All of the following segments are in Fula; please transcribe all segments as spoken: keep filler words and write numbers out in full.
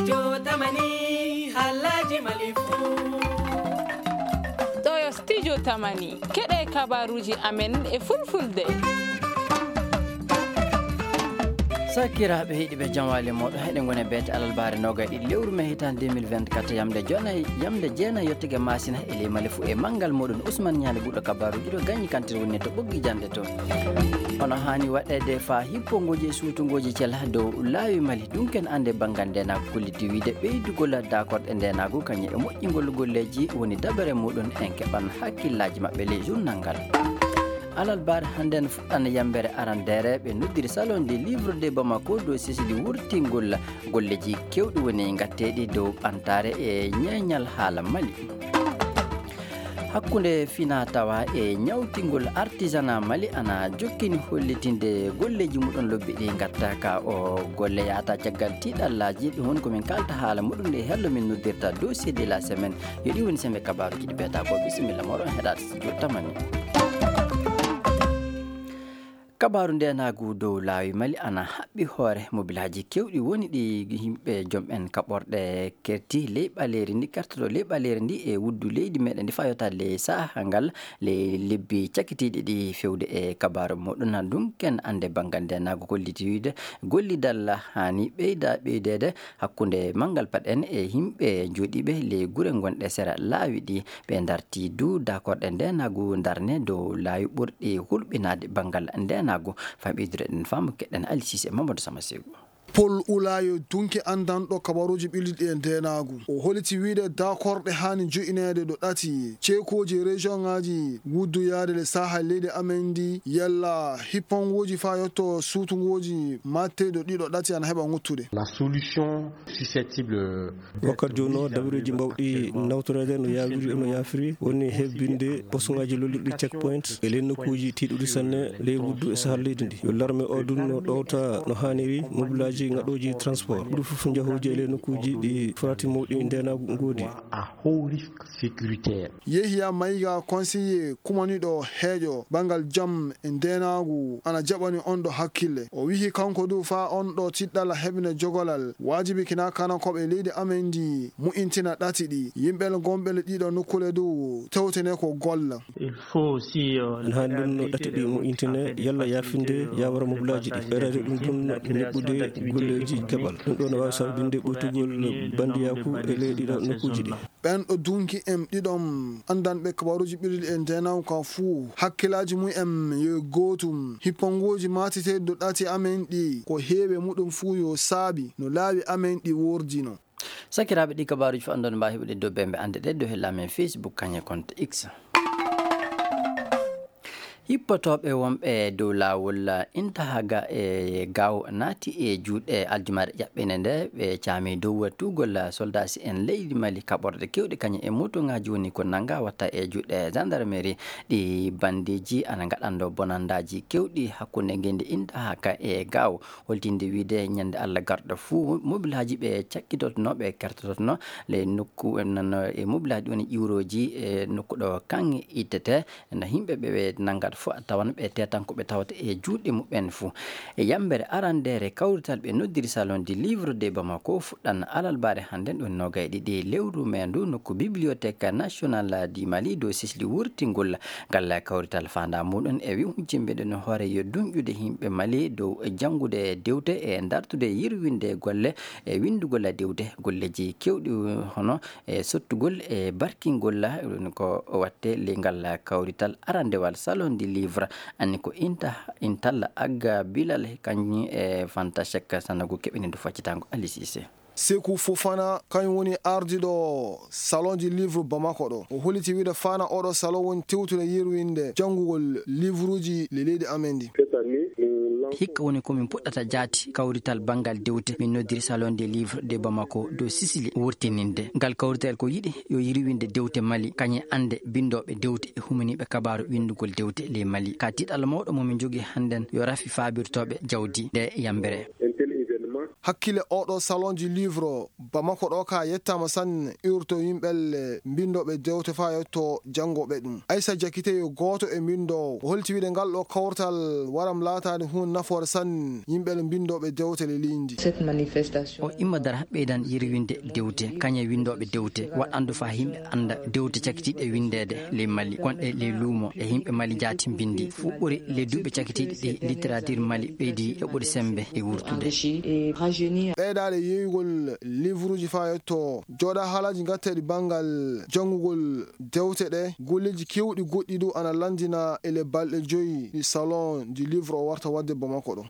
Jotamani, halaji malifu. Ɗo yo Studio Tamani, keɗe kabaruji amen e fulfulde. Sakiraaɓe heɗiiɓe, jam waali mooɗon. Heɗen ngoni e beete alarbaare noogay ɗiɗi lewru mee hitaande deux mille vingt-quatre, yamde jeenay, yamde jeenay yottude masina e ley Mali fuu e manngal mooɗon Usman Ñaali, ɓurɗo kabaruji ɗo gañi kantir woni to ɓoggi jannde to. Hono haani waɗeede faa hippongooji e suutungooji cela dow laawi Mali, ɗum ken annde banngal ndeenaagu kolliti wiide ɓeydugol daakorɗe ndeenaagu kañum e moƴƴingol golleeji woni dabare muuɗum en keɓan hakkillaaji maɓɓe ley journal ngal. Alarbaare hannden fuɗɗan yambere arandeere ɓe noddiri Salon du Livre de Bamako dow sesidi wurtingol golleeji keewɗi woni ngatteeɗi dow ɓantaare e ñeeñal haala Mali. Hakkunde fina tawa e ñawtingol artisanat Mali ana jokkini hollitinde golleeji muɗum lobbi ɗi ngatta ka o golle yaata caggal tiiɗallaaji. Ɗum woni ko min kalta haala muɗum nde hello min noddirta dossier de la semaine. Yo ɗi woni sembe kabaruji ɗi beeta ko bisimilla moɗon heɗaade studio tamani. Kabaaru ndeenaagu dow laawi Mali ana haɓɓi hoore mobilaaji keewɗi woni ɗi yimɓe jom en kaɓorɗe kerti ley ɓaleeri ndi, kertoto ley ɓaleeri ndi e wuddu leydi meɗen ndi faa yottaade ley saha ngal ley lebbi cakkitiiɗi ɗi fewde e kabaaru muɗum. Ɗum ken annde banngal ndeenaagu kolliti wiide gollidal haani ɓeyda ɓeydeede hakkunde manngal paɗen e yimɓe jooɗiiɓe ley gure ngonɗe sera laawi ɗi. Ɓe darti du daakorɗe ndeenaagu darne dow laawi ɓurɗi hulɓinaade banngal ndeenaagu. Faa ɓeydude ɗen faamu keɗen Ali Sise Mamadou Sama Segu. Paul Ulayo dunki anndanɗo kabaruuji ɓilliɗi e ndeenaagu. O holiti wiide daakorɗe haani jo'ineede ɗo ɗati ceekooji e région ŋaaji wuddu yaade le saha leydi amen ndi yalla hippangooji faa yotto suutungooji matteeɗo ɗiɗo ɗati ana heɓa ŋuttude. La solution susceptible Wakkati jooni o, dabareeji mbawɗi nawtoreede no yaawiri, no yaafiri, woni hebbinde posuŋaaji lollirɗi checkpoint e ley nokkuuji tiiɗuɗi sanne ley wuddu e sahal leydi ndi. Yo larme o dun no ɗowta no haaniri mobulaaji ngaɗooji transport. Ɓuri fof njahooji e ley nokkuuji ɗi farati mawɗi ndeenaagu ngoodi. À haut risque sécuritaire. Yehiya Mayiga, conseiller kumaniiɗo heejo banngal jam e ndeenaagu, ana jaɓani on ɗo hakkille. O wihi kanko du faa on ɗo tiɗɗala heɓine jogolal waajibi kina kanakooɓe leydi amen ndi mu'intina ɗati ɗi. Yimɓe gonɓe ɗiɗo nokkule du tewtene ko golla. Il faut aussi, euh, Ana haani ɗum no ɗati ɗi mo'intine yalla yaafinde yaawara mobulaaji ɗi. Ɓeyrade ɗum ɗum neɓɓude golleeji keɓal. Ɗum ɗo no waawi sababinde ɓoytugol bandiyaaku e ley ɗiɗo nokkuuji ɗi. Ɓen ɗo dunki en ɗiɗon anndanɓe kabaruuji ɓilliɗi e ndeenaagu ka fuu, hakkilaaji mum en yo gootum. Hippangooji maatiteeɗi ɗo ɗati amen ɗi, ko heewi muɗum fuu yo saabi no laawi amen ɗi woordino. Sakiraaɓe, ɗi kabaruuji fof anndon mbaawi heɓude dow bembe annde ɗe dow hella men Facebook kañe compte X. Hippotooɓe wonɓe dow laawol Intahaga e Gaaw naati e juuɗe aljumaare ƴaɓɓinde nde, ɓe caami dow tuugol soldaaji en leydi Mali kaɓorɗe keewɗe kañum e motoŋaaji woni ko nannga watta e juuɗe gendarmerie. Ɗi bandeeji ana ngaɗando bonandaaji keewɗi hakkunde ngenndi Intahaga e Gaaw. Holtinde wiide ñande Allah garɗo fuu, mobilaaji ɓe cakkitotno, ɓe kertototno le nokku, noon e mobilaaji woni ƴiwrooji e nokku ɗo kaŋŋe ittete. No yimɓe ɓe, ɓe nanngata fof a tawan ɓe tetankoɓe tawata e juuɗe muɓɓen fuu. E yambere arandeere kawrital ɓe noddiri Salon du Livre de Bamako fuɗɗan alarbaare hannden ɗo noogay ɗiɗi lewru mee ndu nokku Bibliothèque Nationale du Mali dow sisli wurtingol. Ngal kawrital faandaa muɗum e wi'ude jimɓe ɗen hoore yo dunƴude yimɓe Mali dow janngude dewte e dartude yirwinde golle e winndugol dewte, golleeji keewɗi hono e sottugol e barkingol. Ɗum ko watte ley ngal kawrital arandewal Salon du Livre, anni ko Inta, Intalla Agga Bilal, kañum e Fanta Cheikh Sanagu keɓini ndu faccitango Ali Cissé. Sekou Fofana, kañum woni ardiiɗo Salon du Livre Bamako ɗo. O holliti wiide faana oɗo salon woni tewtude yirwinde janngugol livruuji le leydi amen ndi. Hikka woni ko min puɗɗata jaati kawrital banngal dewte. Min noddiri Salon des Livres de Bamako dow Sicily wurtininde. Ngal kawrital ko yiɗi yo yirwinde dewte Mali, kañum annde binndooɓe dewte e humaniiɓe kabaaru winndugol dewte ley Mali. Ka tiiɗalla mawɗo mo min njogii hannden yo rafi faabirtooɓe jawdi nde yambere. Hakkille oɗo Salon du Livre Bamako ɗo ka yettaama sanne, iwrto yimɓelle mbinndooɓe dewte faa yetto janngooɓe ɗum. Aysa Jakite yo gooto e mbinndoowo. O holti wiide ngal ɗo kawtal waram laataade huunde nafoore sanne yimɓelle mbinndooɓe dewte le leydi. Cette manifestation. O imma dara ɓeydan yirwinde dewte, kañe winndooɓe dewte, waɗandu faa yimɓe annda dewte cakitiiɗe winndeede ley Mali, gonɗe ley luumo e yimɓe Mali jaati mbinndi. Fuɗɗori ley duuɓi cakitiiɗi ɗi, littérature Mali ɓeydi yoɓude semmbe e wurtude. Ɓeydaade yeeyugol livruuji faa yetto jooɗa haalaaji ngatteeɗi banngal janngugol dewte ɗe, golleeji keewɗi goɗɗi du ana lanndina e le balɗe joyi ɗi Salon du Livre o warta waɗde Bamako ɗo.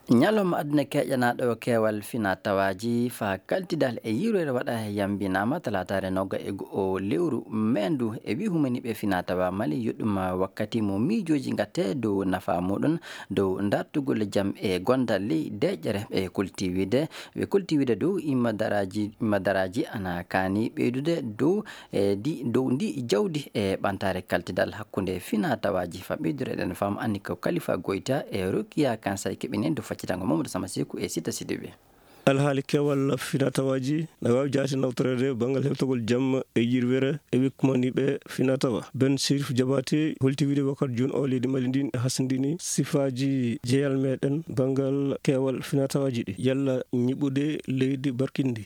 Ñalawma aduna keƴanaaɗo keewal finaa tawaaji faa kaltidal e yirwere waɗa yambinaama talaataare noga e go'o lewru meendu e wi humaniiɓe finaa tawaa Mali yoɗɗum wakkati mo miijooji ngatte dow nafaa muɗum dow dartugol jam e gondal ley deeƴere e kolti wiide, ɓe kolti wiide dow imma daraaji, imma daraaji ana kaani ɓeydude dow e di, dow ndi jawdi e ɓantaare kaltidal hakkunde finaa tawaaji. Faa ɓeydude eɗen faam anni ko Kalifa Goyta e Rokiya Kansay keɓinen dow faccitango Mamadou Sama Seku e Sita Sidibe. Alhaali keewal finaa tawaaji na waawi jaati nawtoreede banngal hewtogol jam e yirwere e wikkumaniiɓe finaa tawa. Ben Sirif Jabaate holti wiide wakkati jooni o leydi Mali ndin hasindini sifaaji jeyal meɗen banngal keewal finaa tawaaji ɗi. Yalla ñiɓude leydi barkinndi.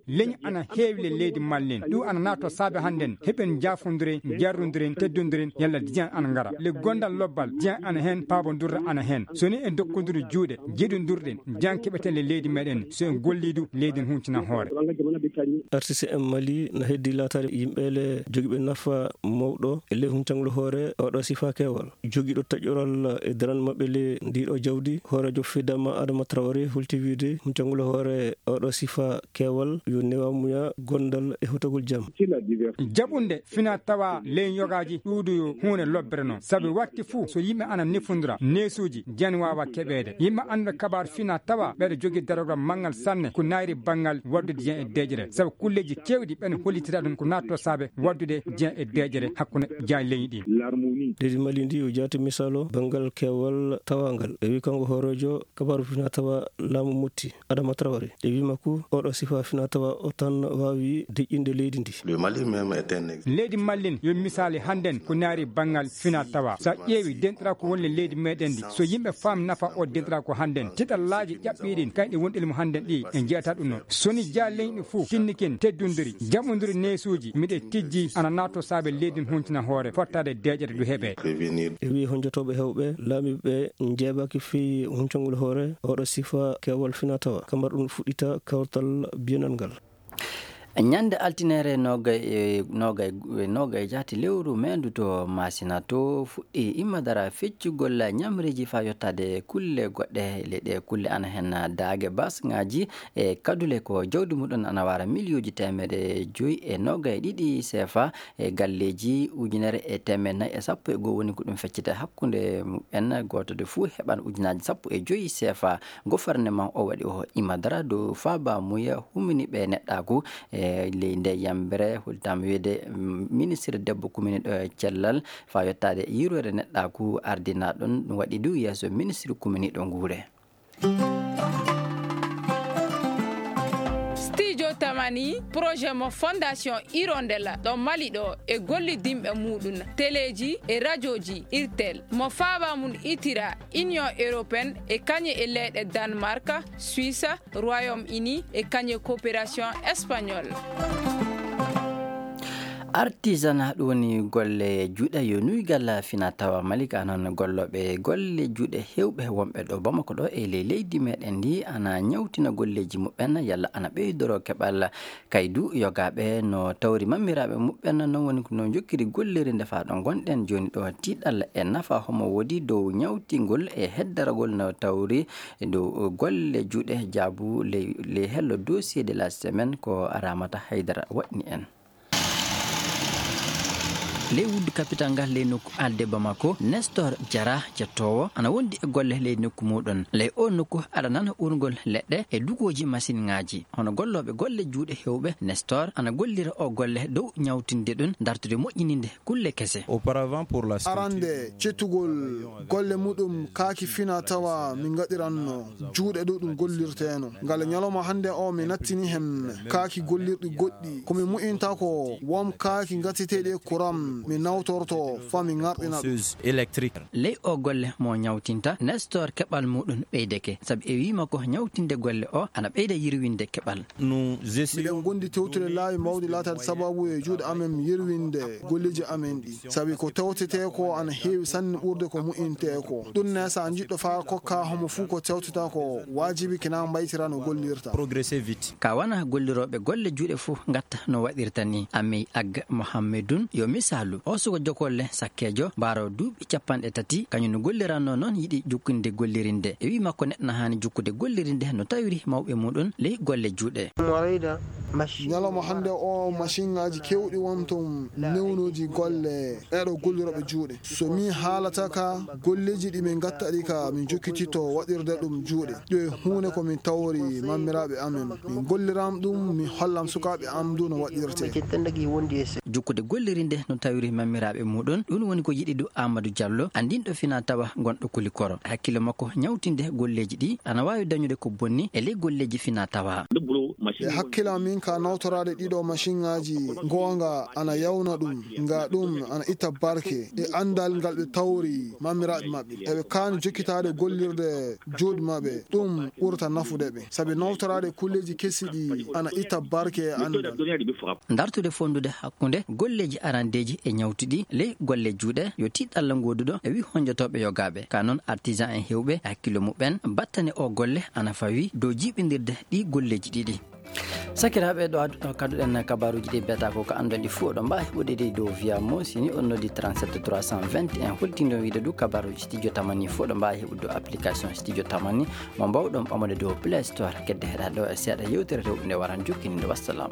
Leñi ana heewi le leydi Mali ndin. Ɗum ana naatoo saabe hannden. Heɓen jaafondiren, jarrondiren, teddondiren, yalla diyan ana ngara. Le gondal lobbal, diyan ana heen, paabondirde ana heen. So ni en dokkondirii juuɗe, jeɗondirɗen, diyan keɓeten le leydi meɗen. So en gollii du, leydi en huncina hoore. R C C M Mali na heddii laataade yimɓe le jogiiɓe nafa mawɗo e ley huncangol hoore oɗo sifaa keewal. Jogiiɗo taƴoral e daran maɓɓe le ndiɗo jawdi, hooreejo Fidama Adama Traoré holti wiide huncangol hoore oɗo sifaa keewal yo newamuya gondal e hutagol jam. Jaɓunde finaa tawaa ley yogaaji ɗuuɗuyo huunde lobbere noon. Sabi wakti fuu so yimɓe ana nefondira, neesuuji, jan waawa keɓeede. Yimɓe annduɓe kabaaru finaa tawaa, ɓeɗo jogii darogol manngal sanne, ko naayri banngal waɗdude jan e deeƴere. Sabi kulleeji keewɗi ɓen hollitira ɗum ko naatto saabe waɗdude jan e deeƴere hakkunde jan leñi ɗin. Leydi Mali ndi o jaati misaalu banngal keewal tawaangal. E wi kanko hooreejo kabaaru finaa tawaa laamu Motti. Adama Traoré. E wii makko, oɗo sifa finaa tawa o tan waawi deƴƴinde leydi ndi. Le Mali même est un ex- Leydi Mali yo misaali hannden ko naari banngal finaa tawa. So a ƴeewi denɗiraa ko woni e leydi meɗen ndi, so yimɓe faam nafa o denɗiraa ko hannden, tiɗallaaji ƴaɓɓiiɗi kayɗe wonɗi mo hannden ɗi, en njiyata ɗum noon. So ni jaa leñɗi fof tinnikin teddundiri, jaɓondiri neesuuji, miɗe tijji ana naatoo saabe leydi n huntina hoore, fottaade deeƴere ndu heɓee. E wii honjotooɓe heewɓe, laamiiɓe njeebaaki fii huncangol hoore oɗo sifa keewal finaa tawa. Kamar ɗum fuɗɗita kawtal biyanal ngal. Ñande altineere noogay e, noogay, noogay jaati lewru meendu to Masina to fuɗɗi immadara feccugol ñamreeji faa yottaade kulle goɗɗe. Leyɗe kulle ana hen daage basŋaaji e kadule ko jawdi muɗum ana wara miliyuuji teemedde joyi e noogay ɗiɗi seefa e galleeji ujunere e teemedde nayi e sappo e goo woni ko ɗum feccita hakkunde muɓɓen. Gooto de fuu heɓan ujunaaji sappo e joyi seefa. Gofarneman o waɗi o immadara dow faaba muya humini ɓe neɗɗaaku e ley nde yambere. Hultaama wiide, mm, ministre debbo kumini ɗo e cellal faa yottaade yirwere neɗɗaaku ardinaa ɗum, ɗum waɗi du yeeso ministre kumini ɗo nguure. Studio Tamani, projet mo Fondation Hirondella ɗo Mali ɗo e gollidinɓe muɗum, teleeji e rajooji Irtel, mo faaba mum itira Union Européenne e kañe e leyɗe Danemark, Suisse, Royaume-Uni e kañe coopération espagnole. Artisanat ɗum woni golle juuɗe yo nuygal fina tawa Mali, ka noon gollooɓe golle juuɗe heewɓe wonɓe ɗo Bamako ɗo e ley leydi meɗen ndi ana ñawtina golleeji muɓɓen yalla ana ɓeydoro keɓal kaydu yogaaɓe no tawri mammiraaɓe muɓɓen. Noon woni ko no jokkiri golleeri nde faa ɗo ngonɗen jooni ɗo, tiiɗal e nafa homo woodi dow ñawtingol e heddaragol no tawri dow golle juuɗe jaabu ley, ley hello dossier de la semaine ko Ramata Haydara waɗni en. Ley wuddu kapital ngal ley nokku alde Bamako, Nestor Jara jettoowo ana wondi e golle ley nokku muuɗon. Ley oo nokku aɗa nana urngol leɗɗe e dugooji masinŋaaji. Hono gollooɓe golle juuɗe heewɓe, Nestor ana gollira oo golle dow ñawtinde ɗum, dartude moƴƴininde kulle kese. Auparavant pour la structure. Arande cettugol golle muɗum kaaki fina tawa min ngaɗiranno juuɗe dow ɗum gollirteeno. Ngal ñalawma hannde o mi nattini heen kaaki gollirɗi goɗɗi. Ko mi mu'inta ko won kaaki gaseteeɗi e kuram mi nawtorto fa mi ŋarɗina ɗum. Ponceuse électrique. Ley o golle mo ñawtinta, Nestor keɓal muɗum ɓeydeke. Sabi e wiima ko ñawtinde golle o ana ɓeyda yirwinde keɓal. Nous essayons. Miɗen gondi tewtude laawi mawɗi laataade sababu e juuɗe amen yirwinde golleeji amen ɗi. Sabi ko tewtetee ko ana heewi sanne ɓurde ko mu'intee ko. Ɗum ne so a jiɗɗo faa kokka homo fuu ko tewtata ko waajibi kina mbaytira no gollirta. Progresser vite. Ka wana gollirooɓe golle juuɗe fof ngatta no waɗirta ni. Amey Ag Mohammedun yo misaalu. O suka jokolle sakkeejo, mbaaro duuɓi capanɗe tati, kañum no golliranno noon yiɗi jukkinde gollirinde. E wii makko neɗɗo na haani jukkude gollirinde no tawiri mawɓe muɗum ley golle juuɗe. Ñalawma hannde o, masinŋaaji keewɗi won toon newnooji golle e ɗo gollirooɓe juuɗe. So mi haalata ka, golleeji ɗi min ngatta ɗi ka, min jokkititto waɗirde ɗum juuɗe. Ɗo e huunde ko min tawori mammiraaɓe amen. Min golliram ɗum, min hollam sukaaɓe am du no waɗirte. Jukkude gollirinde no tawiri mammiraaɓe muɗum, ɗum woni ko yiɗi du Amadou Diallo, anndinɗo fina tawa gonɗo Kulikoro. Hakkille makko ñawtinde golleeji ɗi ana waawi dañude ko bonni e ley golleeji fina tawa. E hakkille am min ka nawtoraade ɗiɗo masinŋaaji, goonga ana yawna ɗum, nga ɗum ana itta barke e anndal ngal ɓe tawri mammiraaɓe maɓɓe. Eɓe kaani jokkitaade gollirde juuɗe maɓɓe, ɗum ɓurata nafude ɓe. Sabi nawtoraade kulleeji kesi ɗi ana itta barke e anndal. Dartude fonndude hakkunde golleeji arandeeji e ñawtuɗi ley golle juuɗe, yo tiiɗalla ngooduɗo e wi honjotooɓe yogaaɓe. Ka noon artisan en heewɓe e hakkillo muɓɓen, battane o golle ana fawi dow jiiɓindirde ɗi golleeji ɗiɗi. Sakiraaɓe, ɗo ad-, kaduɗen kabaruuji ɗi beta ko ka anndon ɗi fof, ɗo mbaawi heɓude ɗi dow via mo, si ni on noddi trente-sept trois cent vingt et un, holtindo wiide du kabaruuji studio tamani fof, ɗo mbaawi heɓude dow application studio tamani, mo mbaawɗon ɓamude dow Play Store. Kedde heɗa ɗo e seeɗa yewtere rewɓe nde waran jokkinde. Wassalam.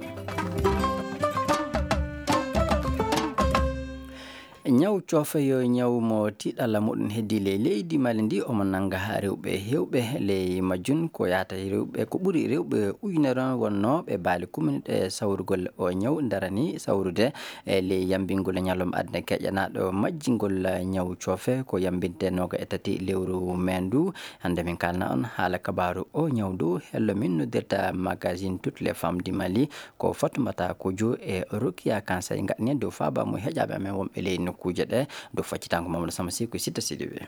Ñaw coofe yo ñaw mo tiiɗalla muɗum heddi ley leydi Mali ndi, omo nannga rewɓe heewɓe. Ley majjum ko yaata rewɓe, ko ɓuri rewɓe ujunere on wonnoo ɓe baali kumini ɗe sawrugol o ñaw, darani sawrude e ley yambingol ñalawma aduna keƴanaaɗo majjingol ñaw coofe ko yambinte nooga e tati lewru mee ndu. Hannde min kalna on haala kabaaru o ñaw ndu, hello min noddirta magazine Toutes les femmes du Mali. Ko Fatoumata Kojo e Rokia Kansay ngaɗani en dow faaba mo heƴaaɓe amen wonɓe ley nokkuuje ɗe, dow faccitango Mamadou Sama Sy ko Sitta Sidibé.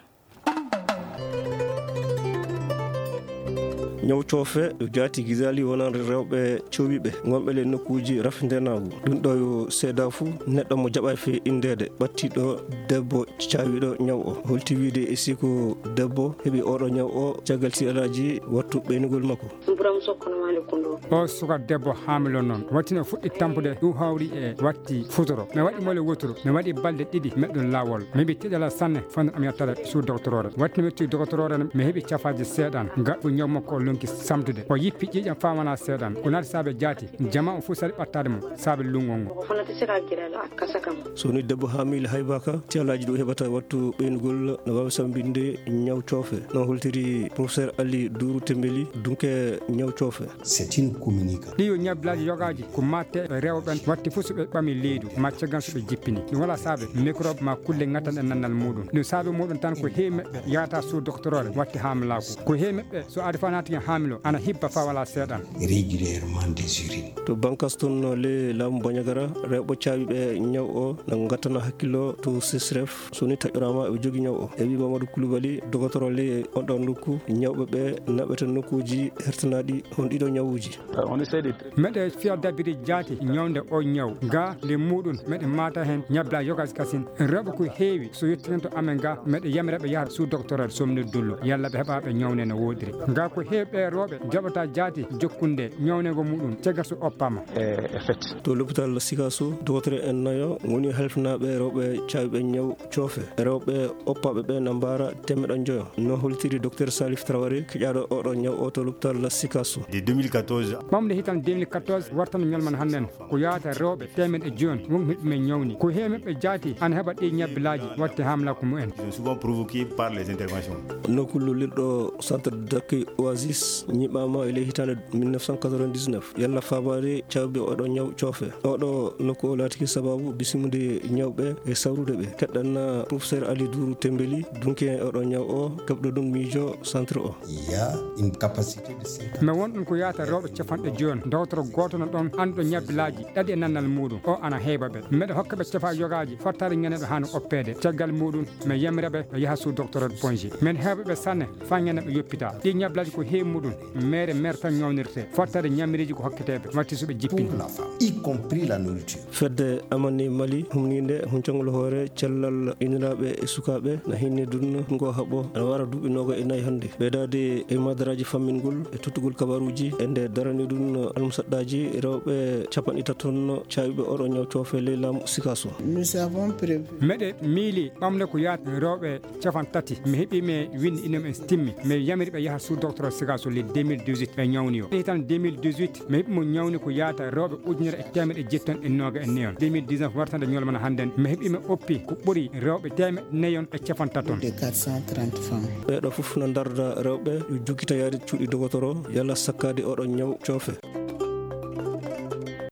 Ñaw coofe jaati gisaali wonande rewɓe cowiɓe ngonɓe ley nokkuuji rafindenaagu. Ɗum ɗo yo seedaa fuu neɗɗo mo jaɓaay fee inndeede ɓattiiɗo debbo caawiiɗo ñaw o. Holti wiide e si ko debbo heɓi oɗo ñaw o caggal si alaaji wattu ɓeynugol makko. O suka debbo haamilo noon, watti no fuɗɗi tampude ɗum hawri e watti futuro. Mi waɗi mole wotoro, mi waɗi balɗe ɗiɗi meɗɗum laawol. Mi heɓi tiɗala sanne, fonnde am yettade suu dogotoroore. Watti no mi yetti dogotoroore, mi heɓi cafaaji seeɗan, gaɗɗu ñaw makko o lonki samtude. O yippi ƴiiƴam faa wona seeɗan. Ko naati saabe jaati, jama o fof sari ɓattaade mo, saabe lunngol ngol. So woni debbo haamilo haybaka, ti alaaji ɗum heɓata wattu ɓeynugol no waawi sambinde ñaw coofe. No holtiri professeur Ali Dourou Tembeli, dunke ñaw coofe. C'est une communication. Ɗi yo ñablaaji yogaaji ko matte e rewɓe ɓen, watti fof so ɓe ɓami leydu, ma caggal so ɓe jippini. Ɗum wala saabe microbe ma kulle ngattanɗe nannal muɗum. Ɗum saabe muɗum tan ko heewi meɓɓe yahata suu doctorore watti haamilaaku. Ko heewi meɓɓe so aadi faa naati haamilo, ana hibba faa wala seeɗan. Régulièrement des urines. To Bankas toon no le laamu Bandiagara, rewɓe caawiiɓe ñaw o no ngattana hakkillo to sesref. So ni taƴoraama e jogi ñaw o. E wi Mamadou Koulibaly, dogotoro le on ɗon nokku, ñawɓe ɓe naɓete nokkuuji hertanaaɗi hon ɗiɗo ñawuuji. Meɗe fiya dabiri jaati ñawnde o ñaw. Ga le muɗum meɗe maata heen ñabla yogas kasin. Rewɓe ko heewi so yettinanto amen ga meɗe yamira ɓe yaha suu doctorel somni dullo. Yalla ɓe heɓa ɓe ñawne no woodiri. Ga ko heewi Ɓe rewɓe jaɓata jaati jokkunde ñawnegol muɗum caggal so oppaama. To l'hôpital Sikasso, dogotoro en nayo ngoni halfinaaɓe rewɓe caayɓe ñaw coofe. Rewɓe oppaaɓe ɓe na mbaara teemeɗɗe njoyo. No hollitiri Docteur Salif Traoré, keƴaaɗo oɗo ñaw o to l'hôpital Sikasso. De deux mille quatorze. Ɓamde hitan deux mille quatorze wartano ñalman hannden. Ko yaata rewɓe teemeɗɗe jooni won heɓɓe men ñawni. Ko heewi maɓɓe jaati ana heɓa ɗi ñabbilaaji waɗte hamlaaku mumen. Ils sont souvent provoqués par les interventions. Nokku lullirɗo centre d'accueil Oasis ñiɓaama e ley hitaande mille neuf cent quatre-vingt-dix-neuf. Yalla faabaade caayɓe oɗo ñaw coofe. Oɗo nokku o laatiki sababu bisimude ñawɓe e sawrude ɓe. Keɗɗan professeur Ali Dourou Tembeli, dunki en oɗo ñaw o, keɓɗo ɗum miijo centre o. Il y a une capacité de cinquante. Mais won ɗum ko yaata rewɓe capanɗe jooni. Dogotoro gooto no ɗon annduɗo ñabbilaaji ɗaɗi e nannal muɗum. O ana heewa ɓe. Meɗa hokka ɓe cafa yogaaji fottaade ñande ɓe haani oppeede. Caggal muɗum, mi yamira ɓe ɓe yaha sous doctorat Pointe-Genêt. Men heewɓe ɓe sanne faa ñande ɓe yoppita. Ɗi ñabbilaaji ko heewi muɗum. Meere meere tan ñawnirte. Fottaade ñamiriiji ko hokketee ɓe. Watti so ɓe jippini. Pour la femme, y compris la nourriture. Fedde Amani Mali humniinde huncangol hoore cellal inniraaɓe e sukaaɓe na hinni ɗum ngo haɓo ana wara duuɓi nooga e nayi hannde. Ɓeydaade e madaraaji fammingol e tottugol kabaruuji e nde darani ɗum almusaɗɗaaji rewɓe capanɗe tati ton caayɓe oɗo ñaw coofe ley laamu Sikasso. Nous avons prévu. Meɗe miili ɓamde ko yaata rewɓe capanɗe tati. Mi heɓi me winndi ino men timmi. Mi yamiri ɓe yaha sous doctorat Sikasso le deux mille dix-huit ɓe ñawni o. Hitan deux mille dix-huit, mi heɓi mo ñawni ko yaata rewɓe ujunere e teemeɗɗe jetti ton e nooga e neyon. Deux mille dix-neuf wartande ñolmana hannden, mi heɓi mi oppi ko ɓuri rewɓe teemeɗɗe neyon e capanɗe tati ton. De quatre cent trente femmes. Ɓeeɗo fof na ndarda rewɓe yo jokkita yaade cuuɗi dogotoro, yalla sakkaade oɗo ñaw coofe.